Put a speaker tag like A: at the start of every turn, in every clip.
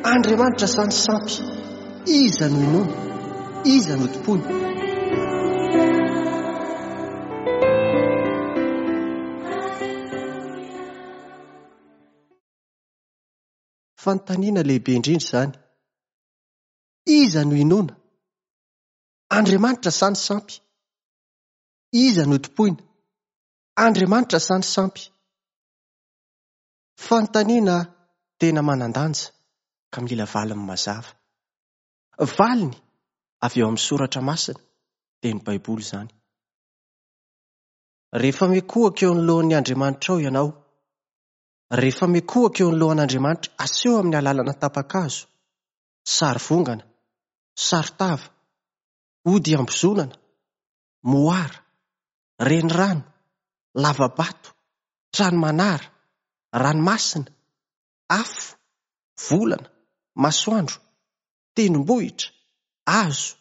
A: Andriamanitra sa ny sampy? Iza no inoana? Iza no tompoina? Fanontaniana lehibe indrindra izany. Iza no inoana? Andriamanitra sa ny sampy? Iza no tompoina? Andriamanitra sa ny sampy? Fanontaniana tena manan-danja ka mila valiny mazava. Valiny avy ao amin'ny Soratra Masina, dia ny Baiboly izany. Rehefa mikohaka eo anoloan'ny Andriamanitrao ianao, rehefa mikohaka eo anoloan'Andriamanitra aseho amin'ny alalana tapa-kazo, sary vongana, saron-tava, ody iambozonana, moara, renirano, lava-bato, trano manara, ranomasina, afo, volana, masoandro, tendrombohitra, hazo,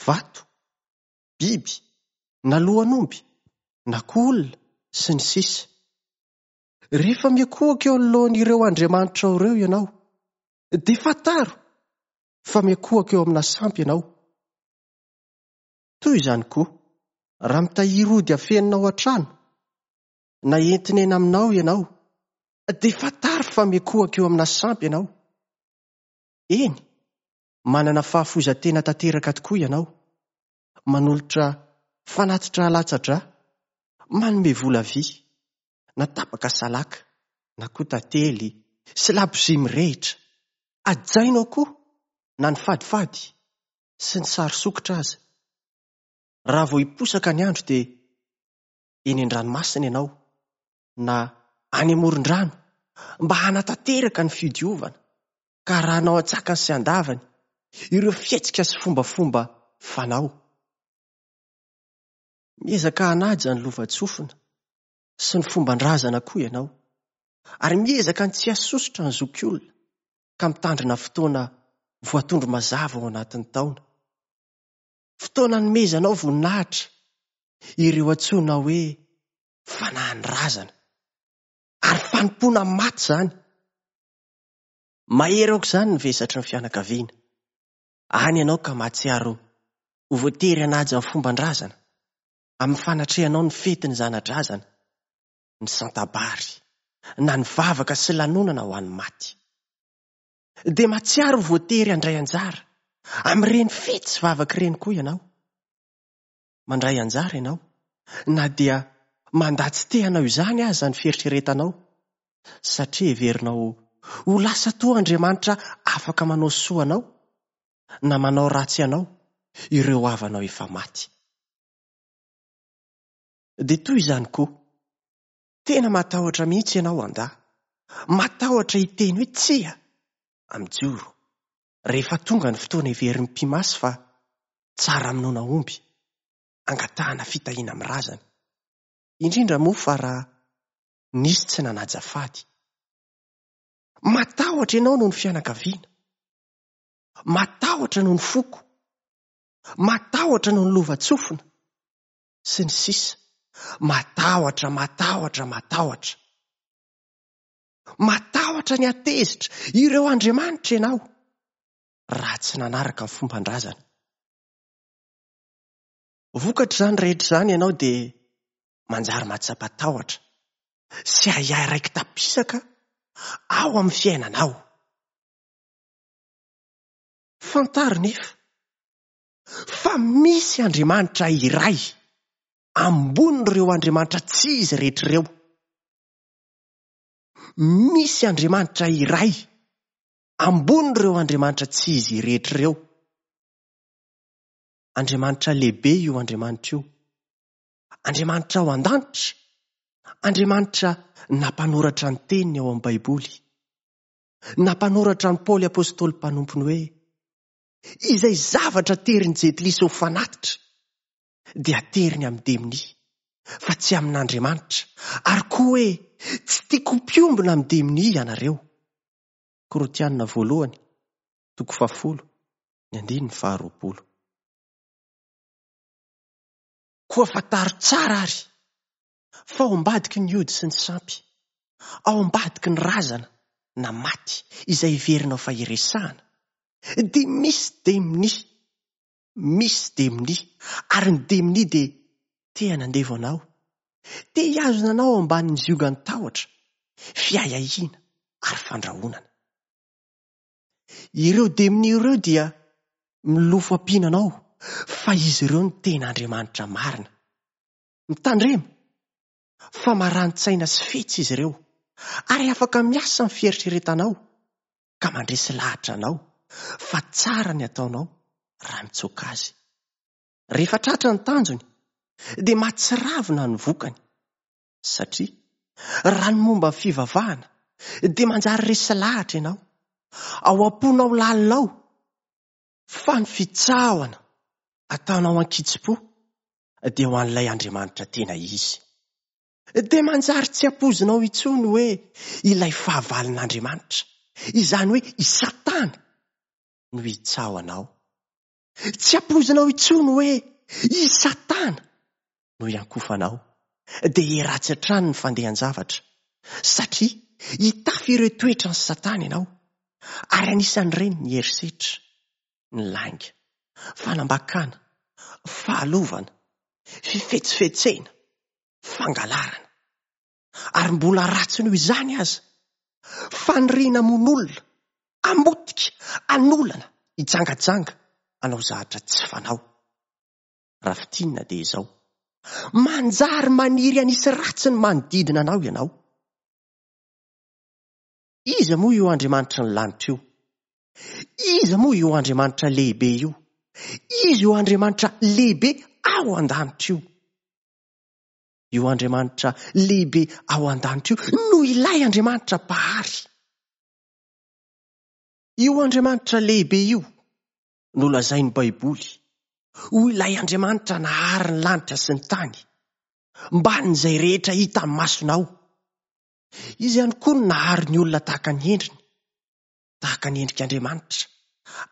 A: vato, biby, na lohan'omby, na koa olona, sy ny sisa Rehefa miankohoka eo anoloan'ireo andriamanitrao ireo ianao, dia fantaro fa miankohoka eo amina sampy ianao. Toy izany koa, raha mitahiry ody afenina ao an-trano, na entina eny aminao ianao, dia fantaro fa miankohoka eo amina sampy ianao. Eny, manana fahafoizan-tena tanteraka tokoa ianao, manolotra fanatitra alatsa-drà, manome vola vy, na tapaka salaka, na koa tantely sy labozia mirehitra. Hajainao koa na ny fadifady sy ny sary sokitra aza. Raha vao hiposaka ny andro dia eny an-dranomasina ianao na any amoron-drano mba hanatanteraka ny fidiovana ka arahanao an-tsakany sy an-davany ireo fihetsika sy fombafomba fanao. Miezaka hanaja ny lovantsofina sy ny fomban-drazana koa ianao ary miezaka ny tsy hasosotra ny zokiolona ka mitandrina fotoana voatondro mazava ao anatin'ny taona. Fotoana anomezanao voninahitra ireo antsoina hoe fanahin'ny razana. Ary fanompoana maty izany. Mahery aoka izany ny vesatry ny fianakaviana. Any ianao ka mahatsiaro ho voatery hanaja ny fomban-drazana amin'ny fanatrehanao ny fetin'ny zana-drazana, ny santabary, na ny vavaka sy lanonana ho an'ny maty. Dia mahatsiaro ho voatery handray anjara amin'ireny fety sy vavaka ireny koa ianao. Mandray anjara ianao, na dia mandà tsy te hanao izany aza ny fieritreretanao, satria heverinao ho lasa toa Andriamanitra afaka manao soa anao na manao ratsy anao ireo havanao efa maty. Dia toy izany koa, tena matahotra mihitsy ianao handà, matahotra hiteny hoe tsia amin'ny joro, rehefa tonga ny fotoana heverin'ny mpimasy fa tsara hamonoana omby, hangatahana fitahiana amin'ny razana, indrindra moa fa raha nisy tsy nanaja fady. Matahotra ianao noho ny fianakaviana, matahotra noho ny foko, matahotra noho ny lovantsofina, sy ny sisa Matahotra, matahotra, matahotra. Matahotra ny hatezitra ireo andriamanitra ianao raha tsy nanaraka ny fomban-drazana. Vokatr'izany rehetra izany ianao dia manjary mahatsapa tahotra sy ahiahy raiki-tapisaka ao amin'ny fiainanao. Fantaro nefa fa misy Andriamanitra iray ambonin'ireo andriamanitra tsy izy rehetra ireo. Misy Andriamanitra iray ambonin'ireo andriamanitra tsy izy rehetra ireo. Andriamanitra lehibe io Andriamanitra io. Andriamanitra ao an-danitra. Andriamanitra nampanoratra ny teniny ao amin'ny Baiboly. Nampanoratra an'i Paoly apostoly mpanompony hoe, Izay zavatra aterin'ny jentilisa ho fanatitra dia ateriny amin'ny demonia, fa tsy amin'Andriamanitra, ary koa hoe tsy tiako ho mpiombona amin'ny demonia ianareo. Korintiana voalohany, toko fahafolo, ny andininy faharoapolo. Koa fantaro tsara àry fa ao ambadiky ny ody sy ny sampy, ao ambadiky ny razana, na maty izay heverinao fa iresahana, dia misy demonia, misy demonia, ary ny demonia dia te hanandevo anao, te hihazona anao ao ambanin'ny ziogan'ny tahotra, fiahiahiana ary fandrahonana. Ireo demonia ireo dia milofo ampiana anao fa izy ireo no tena Andriamanitra marina. Mitandrema fa marani-tsaina sy fetsy izy ireo ary afaka miasa amin'ny fieritreretanao ka mandresy lahatra anao fa tsara ny ataonao raha mitsoaka azy. Rehefa tratra ny tanjony dia mahatsiravina ny vokany satria raha ny momba ny fivavahana dia manjary resy lahatra ianao ao am-ponao lalina ao fa ny fitsahana ataonao an-kitsim-po dia ho an'ilay Andriamanitra tena izy. Dia manjary tsy ampoizinao intsony hoe ilay fahavalon'Andriamanitra, izany hoe i Satana, no hitsaho anao. Tsy ampoizinao intsony hoe i Satana no hiankofanao. Dia hiratsy hatrany ny fandehan-javatra, satria hitafy ireo toetran'i Satana ianao, ary anisan'ireny ny herisetra, ny lainga, fanambakana, fahalovana, fifetsifetsena, fangalarana. Ary mbola ratsy noho izany aza, faniriana hamono olona, hamotika, hanolana, hijangajanga, hanao zavatra tsy fanao. Raha fintinina dia izao, manjary maniry hanisy ratsy ny manodidina anao ianao. Iza moa io Andriamanitry ny lanitra io? Iza moa io Andriamanitra lehibe io? Iza io Andriamanitra lehibe ao an-danitra io? Io Andriamanitra lehibe ao an-danitra io no ilay Andriamanitra Mpahary. Io Andriamanitra lehibe io no lazain'ny Baiboly ho ilay Andriamanitra nahary ny lanitra sy ny tany, mbanin'izay rehetra hita masonao. Izy ihany koa no nahary ny olona tahaka ny endriny, tahaka ny endrik'Andriamanitra,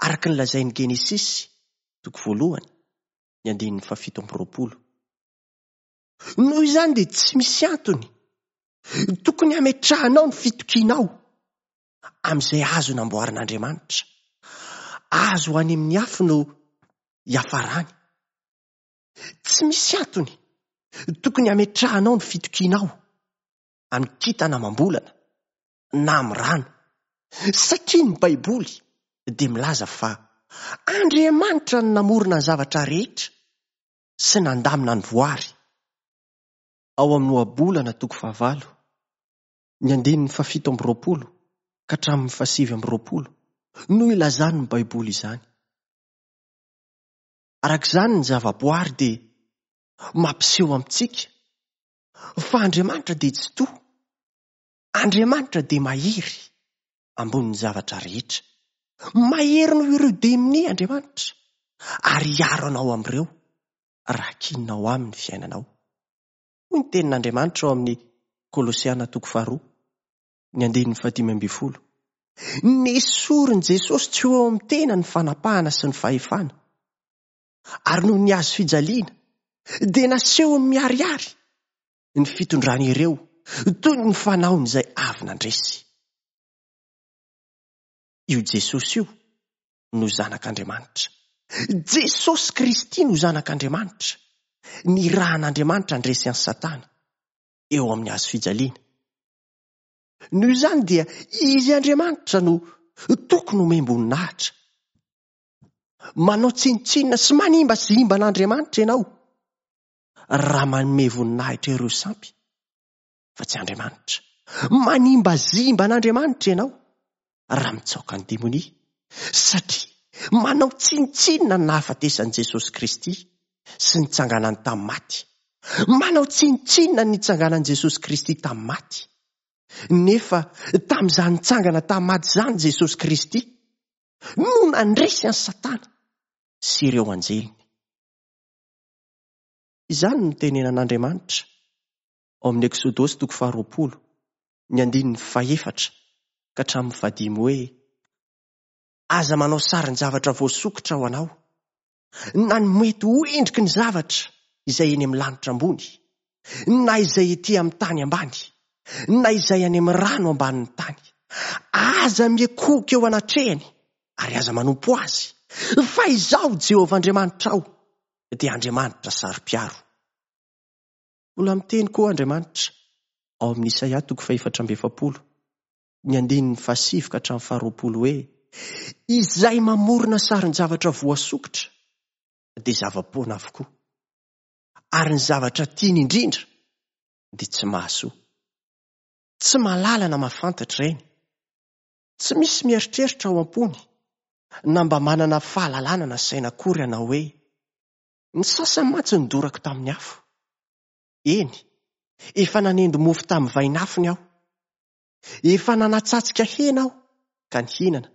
A: araka ny lazain'ny Genesisy, toko voalohany, ny andininy fahafito amby roapolo. Noho izany dia tsy misy antony tokony hametrahanao ny fitokianao amin'izay azo namboarin'Andriamanitra. Azo any amin'ny afo no hiafarany. Tsy misy antony tokony hametrahanao ny fitokianao amin'ny kintana amam-bolana na amin'ny rano, satria ny Baiboly dia milaza fa Andriamanitra no namorona ny zavatra rehetra sy nandamina ny voary. Ao amin'ny Ohabolana toko fahavalo, ny andininy fahafito amby roapolo ka hatramin'ny fahasivy amby roapolo no ilazan'ny Baiboly izany. Araka izany ny zavaboary dia mampiseho amintsika fa Andriamanitra dia Tsitoha, Andriamanitra dia mahery ambonin'ny zavatra rehetra. Mahery noho ireo demonia Andriamanitra ary hiaro anao amin'ireo raha kininao aminy ny fiainanao. Hoy ny tenin'Andriamanitra ao amin'ny Kolosiana toko faharoa, ny andininy fahadimy ambin'ny folo. Nesorin'i Jesosy tsy ho eo amin'ny tena ny fanapahana sy ny fahefana. Ary noho ny hazo fijaliana, dia nasehony miharihary ny fitondrany ireo toy ny fanaony izay avy nandresy. Io Jesosy io no Zanak'Andriamanitra. Jesosy Kristy no Zanak'Andriamanitra. Nirahan'Andriamanitra handresy an'i Satana eo amin'ny hazo fijaliana. Noho izany dia Izy Andriamanitra no tokony homem-boninahitra. Manao tsinontsinona sy manimbazimba an'Andriamanitra ianao raha manome voninahitra ireo sampy fa tsy Andriamanitra. Manimbazimba an'Andriamanitra ianao raha mitsaoka ny demonia satria manao tsinontsinona ny nahafatesan'i Jesosy Kristy sy nitsanganany tamin'ny maty. Manao tsinontsinona ny nitsanganan'i Jesosy Kristy tamin'ny maty. Nefa tamin'izany nitsangana tamin'ny maty izany Jesosy Kristy no nandresy an'i Satana sy ireo anjeliny. Izany no tenenan'Andriamanitra ao amin'ny Eksodosy toko faharoapolo, ny andininy fahefatra ka hatramin'ny fahadimy hoe, Aza manao sarin-javatra voasokitra ho anao, na ny mety ho endriky ny zavatra izay eny amin'ny lanitra ambony, na izay ety amin'ny tany ambany, na izay any amin'ny rano ambanin'ny tany. Aza miankohoka eo anatrehany ary aza manompo azy, fa Izaho Jehovah Andriamanitrao dia Andriamanitra saro-piaro. Mbola miteny koa Andriamanitra ao amin'ny Isaia toko fahefatra amby efapolo, ny andininy fahasivy ka hatramin'ny faharoapolo hoe, Izay mamorona sarin-javatra voasokitra dia zava-poana avokoa, ary ny zavatra tiany indrindra dia tsy mahasoa. Tsy mahalala na mahafantatra ireny. Tsy misy mieritreritra ao am-pony na mba manana fahalalana na saina akory hanao hoe, Ny sasany mantsy nodorako tamin'ny afo. Eny, efa nanendy mofo tamin'ny vainafony aho. Efa nanatsatsika hena aho ka nihinana.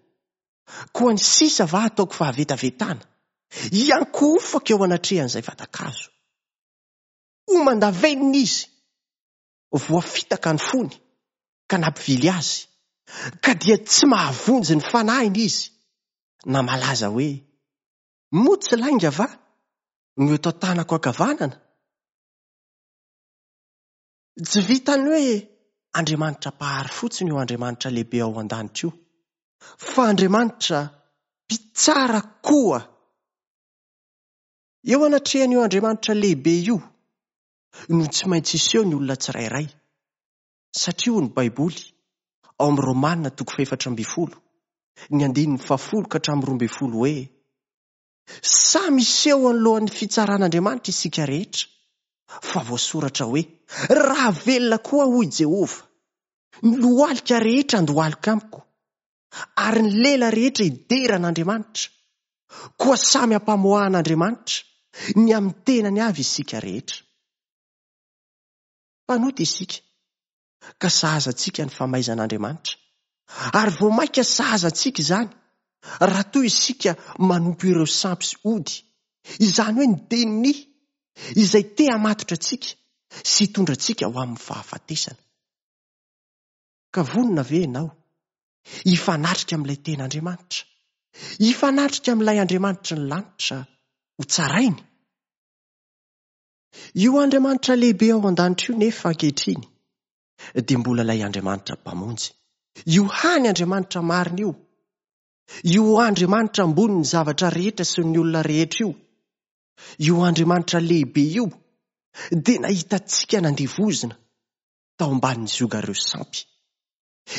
A: Koa ny sisa va ataoko fahavetavetana, hiankohofako eo anatrehan'izay vatan-kazo. Homan-davenona izy, voafitaka ny fony ka nampivily azy, ka dia tsy mahavonjy ny fanahiny izy, na malaza hoe, Moa tsy lainga va no eto an-tanako ankavanana? Tsy vitan'ny hoe Andriamanitra Mpahary fotsiny io Andriamanitra lehibe ao an-danitra io, fa Andriamanitra Mpitsara koa. Eo anatrehan'io Andriamanitra lehibe io no tsy maintsy hiseho ny olona tsirairay, satria hoy ny Baiboly ao amin'ny Romana toko fahefatra ambin'ny folo, ny andininy fahafolo ka hatramin'ny 12 hoe, Samy hiseho anoloan'ny fitsaran'Andriamanitra isika rehetra, fa voasoratra hoe, Raha velona koa hoy Jehovah, ny lohalika rehetra handohalika amiko, ary ny lela rehetra hidera an'Andriamanitra. Koa samy hampamoahan'Andriamanitra ny amin'ny tenany avy isika rehetra. Mpanota isika, ka sahaza antsika ny famaizan'Andriamanitra. Ary vao mainka sahaza antsika izany, raha toa isika manompo ireo sampy sy ody, izany hoe ny demonia, izay te hamatotra antsika sy hitondra antsika ho amin'ny fahafatesana. Ka vonona ve ianao hifanatrika amin'ilay tena Andriamanitra, hifanatrika amin'ilay Andriamanitry ny lanitra ho tsarainy? Io Andriamanitra lehibe ao an-danitra io nefa ankehitriny dia mbola ilay Andriamanitra Mpamonjy. Io hany Andriamanitra marina io, io Andriamanitra ambonin'ny zavatra rehetra sy ny olona rehetra io, io Andriamanitra lehibe io dia nahita antsika nandevozina tao ambanin'ny ziogan'ireo sampy.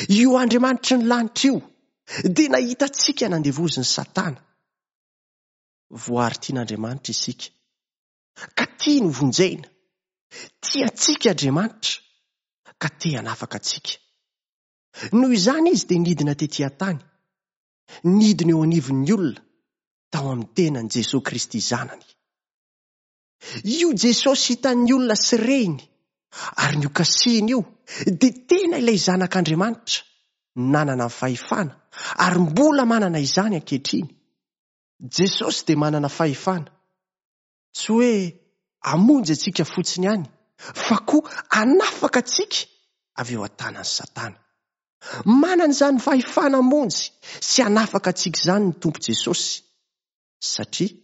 A: Io Andriamanitry ny lanitra io dia nahita antsika nandevozin'i Satana. Voary tian'Andriamanitra isika, ka tiany ho vonjena. Tia antsika Andriamanitra, ka te hanafaka antsika. Noho izany Izy dia nidina tetỳ an-tany, nidina eo anivon'ny olona tao amin'ny tenan'i Jesoa Kristy Zanany. Io Jesosy hitan'ny olona sy reny ary nokasihiny io dia tena ilay Zanak'Andriamanitra nanana ny fahefana ary mbola manana izany ankehitriny. Jesosy dia manana fahefana, tsy hoe hamonjy antsika fotsiny ihany, fa koa hanafaka antsika avy eo an-tanan'i Satana. Manana izany fahefana hamonjy sy hanafaka antsika izany ny Tompo Jesosy, satria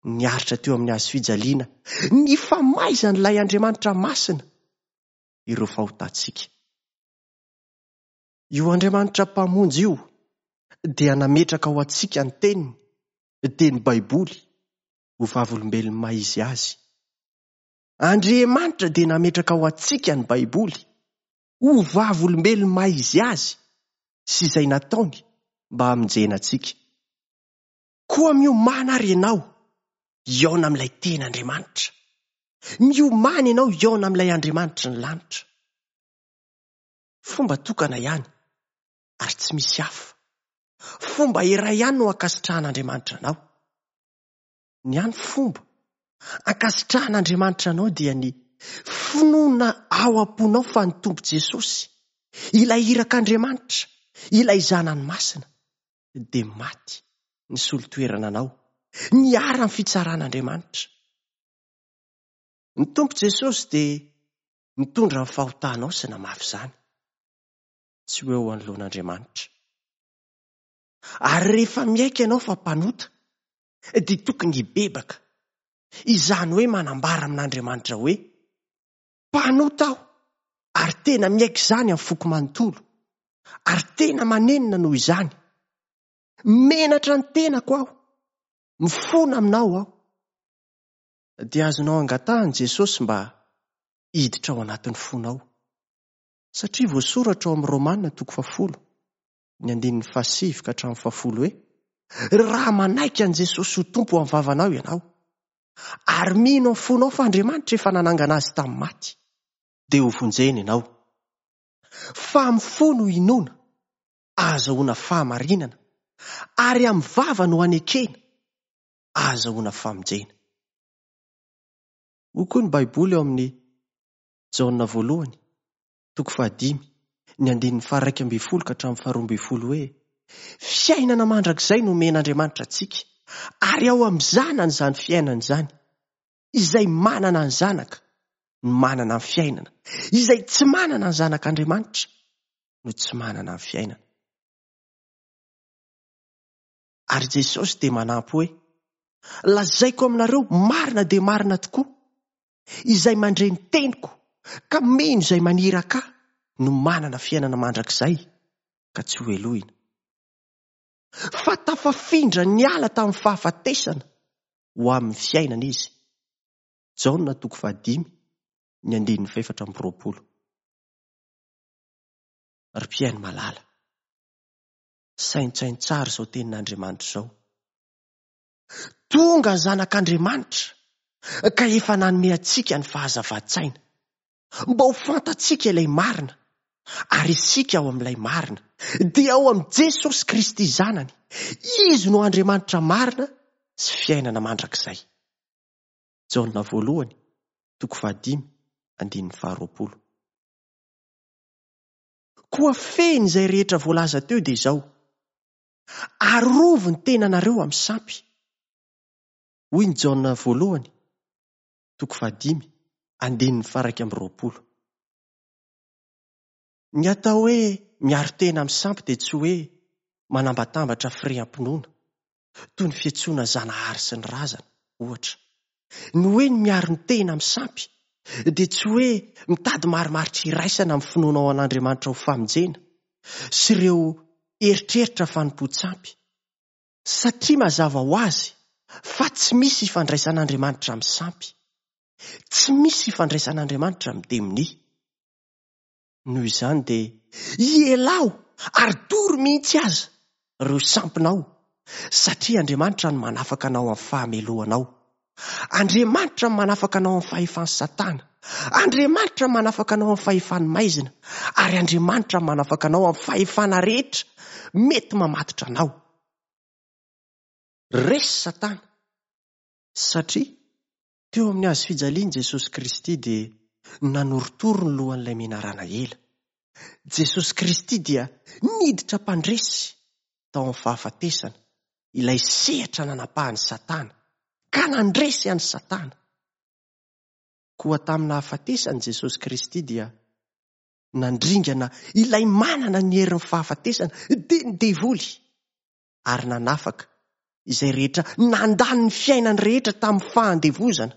A: niaritra teo amin'ny hazo fijaliana ny famaizan'ilay Andriamanitra masina ireo fahotantsika. Io Andriamanitra Mpamonjy io dia nametraka ho antsika ny Teniny, dia ny Baiboly, ho vavolombelon'ny maha izy azy. Andriamanitra dia nametraka ho antsika ny Baiboly, ho vavolombelon'ny maha izy azy sy izay nataony mba hamonjena antsika. Koa miomàna àry ianao hihaona amin'ilay tena Andriamanitra. Miomàna ianao hihaona amin'ilay Andriamanitry ny lanitra. Fomba tokana ihany ary tsy misy hafa. Fomba iray ihany no ankasitrahan'Andriamanitra anao. Ny hany fomba ankasitrahan'Andriamanitra anao dia ny finoana ao am-ponao fa ny Tompo Jesosy, ilay irak'Andriamanitra, ilay Zanany masina, dia maty nisolo toerana anao, niharan'ny fitsaran'Andriamanitra. Ny Tompo Jesosy dia nitondra ny fahotanao sy namafy izany tsy ho eo anoloan'Andriamanitra. Ary rehefa miaiky ianao fa mpanota, dia tokony hibebaka, izany hoe manambara amin'Andriamanitra hoe, Mpanota aho, ary tena miaiky izany amin'ny foko manontolo. Ary tena manenina noho izany. Menatra ny tenako aho. Mifona aminao aho. Dia azonao angatahana Jesosy mba hiditra ao anatin'ny fonao. Satria voasoratra ao amin'ny Romana toko fahafolo, ny andininy fahasivy ka hatramin'ny fahafolo hoe, Raha manaiky an'i Jesosy ho Tompo amin'ny vavanao ianao, ary mino amin'ny fonao fa Andriamanitra efa nanangana azy tamin'ny maty, dia hovonjena ianao. Fa amin'ny fo no inoana, ahazahoana fahamarinana, ary amin'ny vava no anekena, ahazahoana famonjena. Hoy koa ny Baiboly ao amin'ny Jaona voalohany, toko fahadimy, ny andininy faharaika ambin'ny folo ka hatramin'ny faharoa ambin'ny folo hoe, Fiainana mandrakizay no omen'Andriamanitra antsika, ary ao amin'ny Zanany izany fiainana izany. Izay manana ny Zanaka no manana ny fiainana, izay tsy manana ny Zanak'Andriamanitra no tsy manana ny fiainana. Ary Jesosy dia manampy hoe, Lazaiko aminareo marina dia marina tokoa, izay mandre ny teniko ka mino izay maniraka ahy no manana fiainana mandrakizay ka tsy hohelohina. Fa tafafindra niala tamin'ny fahafatesana ho amin'ny fiainana izy. Jaona toko fahadimy, ny andininy fahefatra amby roapolo. Ry mpihaino malala, saintsaino tsara izao tenin'Andriamanitra izao. Tonga ny Zanak'Andriamanitra ka efa nanome antsika ny fahazavan-tsaina, mba ho fantatsika ilay marina, ary isika ao amin'ilay marina, dia ao amin'i Jesosy Kristy Zanany. Izy no Andriamanitra marina sy fiainana mandrakizay. Jaona voalohany, toko fahadimy, andininy faharoapolo. Koa fehiny izay rehetra voalaza teo dia izao, Arovy ny tenanareo amin'ny sampy. Hoy ny Jaona voalohany, toko fahadimy, andininy faha-21. Ny atao hoe miaro tena amin'ny sampy dia tsy hoe manambatambatra fireham-pinoana, toy ny fiantsoana Zanahary sy ny razana, ohatra. Ny hoe ny miaro ny tena amin'ny sampy dia tsy hoe mitady marimaritra iraisana amin'ny finoanao an'Andriamanitra ho famonjena sy ireo eritreritra fanompoan-tsampy, satria mazava ho azy fa tsy misy ifandraisan'Andriamanitra amin'ny sampy, tsy misy ifandraisan'Andriamanitra amin'ny demonia. Noho izany dia ielao ary doro mihitsy aza ireo sampinao, satria Andriamanitra no manafaka anao amin'ny fahamelohanao. Andriamanitra no manafaka anao amin'ny fahefan'i Satana. Andriamanitra no manafaka anao amin'ny fahefan'ny maizina. Ary Andriamanitra no manafaka anao amin'ny fahefana rehetra mety mamatotra anao. Resy Satana, satria Teo amin'ny hazo fijaliana Jesosy Kristy dia nanorotoro ny lohan'ilay menarana ela. Jesosy Kristy dia niditra mpandresy tao amin'ny fahafatesana, ilay sehatra nanapahan'i Satana, ka nandresy an'i Satana. Koa tamin'ny nahafatesan'i Jesosy Kristy dia nandringana ilay manana ny herin'ny fahafatesana, dia ny devoly. ary nanafaka izay rehetra nandany ny fiainany rehetra tamin'ny fahandevozana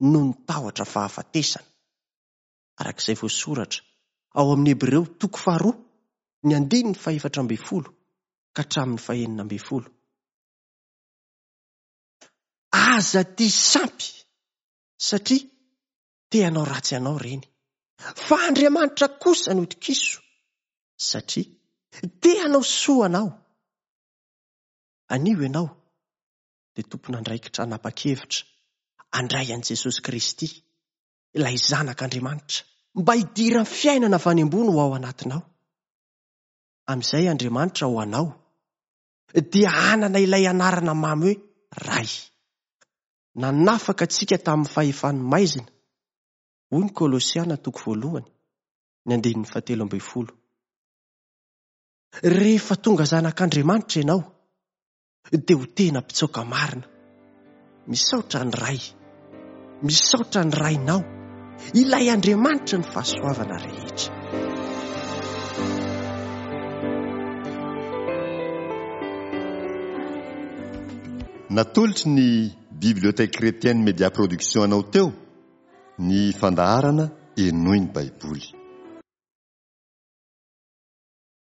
A: noho ny tahotra fahafatesana, araka izay voasoratra ao amin'ny Hebreo toko faharoa ny andininy fahefatra ambin'ny folo ka hatramin'ny fahenina ambin'ny folo. Aza tia sampy satria te hanao ratsy anao ireny, fa Andriamanitra kosa no tokiso satria te hanao soa anao. Anio ianao dia tompon'andraikitra hanapa-kevitra handray an'i Jesosy Kristy, ilay Zanak'Andriamanitra, mba hidiran'ny fiainana avy any ambony ho ao anatinao. Amin'izay Andriamanitra ho anao dia hanana ilay anarana mamy hoe Ray. Nanafaka antsika tamin'ny fahefan'ny maizina, hoy ny Kolosiana toko voalohany, ny andininy fahatelo ambin'ny folo. Rehefa tonga zanak'Andriamanitra ianao, dia ho tena mpitsoaka marina. Misaotra ny Ray. Misaotra ny Rainao, ilay Andriamanitry ny fahasoavana rehetra.
B: Natolotry ny Bibliothèque Chrétienne Média Production anao teo ny fandaharana Henoy ny Baiboly.